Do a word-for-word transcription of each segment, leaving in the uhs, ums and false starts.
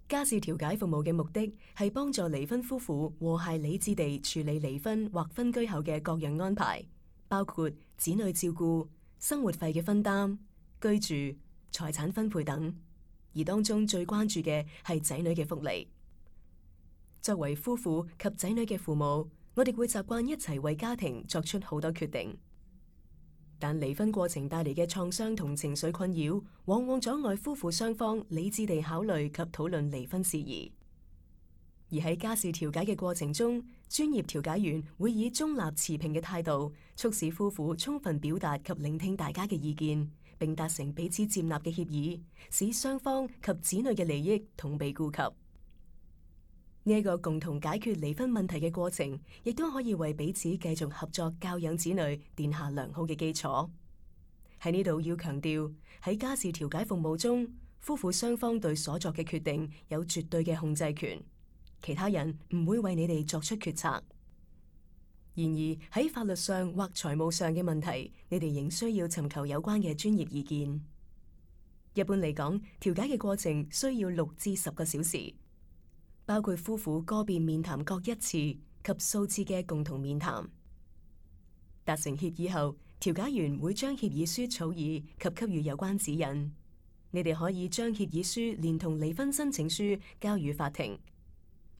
家事調解服務嘅目的係幫助離婚夫婦和諧理智地處理離婚或分居後嘅各樣安排，包括子女照顧、生活費嘅分擔、居住、財產分配等。而當中最關注嘅係仔女嘅福利。作為夫婦及仔女嘅父母，我哋會習慣一齊為家庭作出好多決定。但離婚過程帶嚟嘅創傷同情緒困擾，往往阻礙夫婦雙方理智地考慮及討論離婚事宜。而喺家事調解嘅過程中，專業調解員會以中立持平嘅態度，促使夫婦充分表達及聆聽大家嘅意見，並達成彼此接納嘅協議，使雙方及子女嘅利益同被顧及。呢一個共同解決離婚問題嘅過程，亦都可以為彼此繼續合作教養子女奠下良好嘅基礎。喺呢度要強調，喺家事調解服務中，夫婦雙方對所作嘅決定有絕對嘅控制權，其他人唔會為你哋作出決策。然而喺法律上或財務上嘅問題，你哋仍需要尋求有關嘅專業意見。一般嚟講，調解嘅過程需要六至十個小時。包括夫婦個別面談各一次及數次嘅共同面談。達成協議後，調解員會將協議書草擬及給予有關指引。你哋可以將協議書連同離婚申請書交予法庭，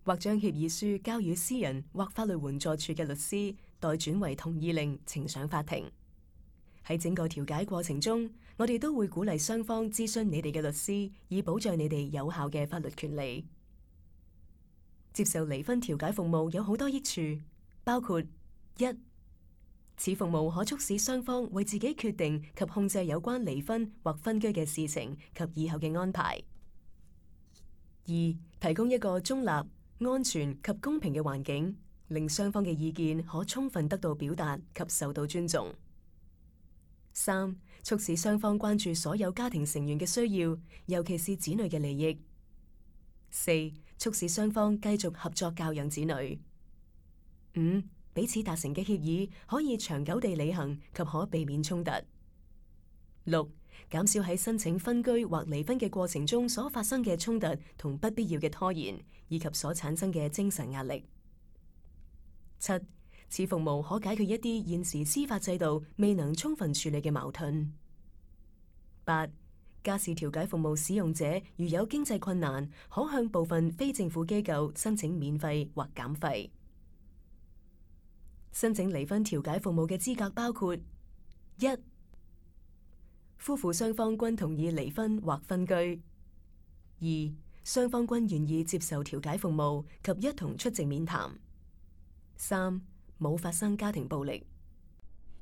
或將協議書交予私人或法律援助處嘅律師，代轉為同意令呈上法庭。喺整個調解過程中，我哋都會鼓勵雙方諮詢你哋嘅律師，以保障你哋有效嘅法律權利。接受離婚調解服務有好多益處，包括一、此服務可促使雙方為自己決定及控制有關離婚或分居嘅事情及以後嘅安排；二、提供一個中立、安全及公平嘅環境，令雙方嘅意見可充分得到表達及受到尊重；三、促使雙方關注所有家庭成員嘅需要，尤其是子女嘅利益；四、促使雙方繼續合作教養子女；五、彼此達成嘅協議可以長久地履行及可避免衝突；六、減少喺申請分居或離婚嘅過程中所發生嘅衝突同不必要嘅拖延，以及所產生嘅精神壓力；七、此服務可解決一啲現時司法制度未能充分處理嘅矛盾；八、家事調解服務使用者如有經濟困難，可向部分非政府機構申請免費或減費。申請離婚調解服務嘅資格包括：一、夫婦雙方均同意離婚或分居；二、雙方均願意接受調解服務及一同出席面談；三、冇發生家庭暴力。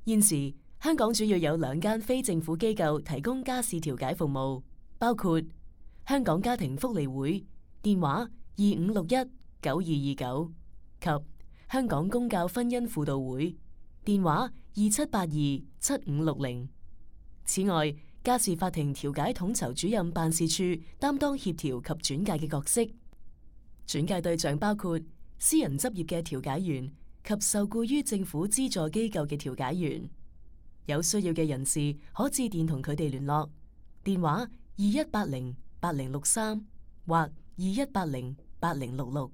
現時香港主要有兩間非政府機構提供家事調解服務，包括香港家庭福利會，電話二五六一九二二九及香港公教婚姻輔導會，電話二七八二七五六零。此外，家事法庭調解統籌主任辦事處擔當協調及轉介嘅角色，轉介對象包括私人執業嘅調解員及受僱於政府資助機構嘅調解員。有需要嘅人士可致電同佢哋聯絡，電話二一八零八零六三或二一八零八零六六。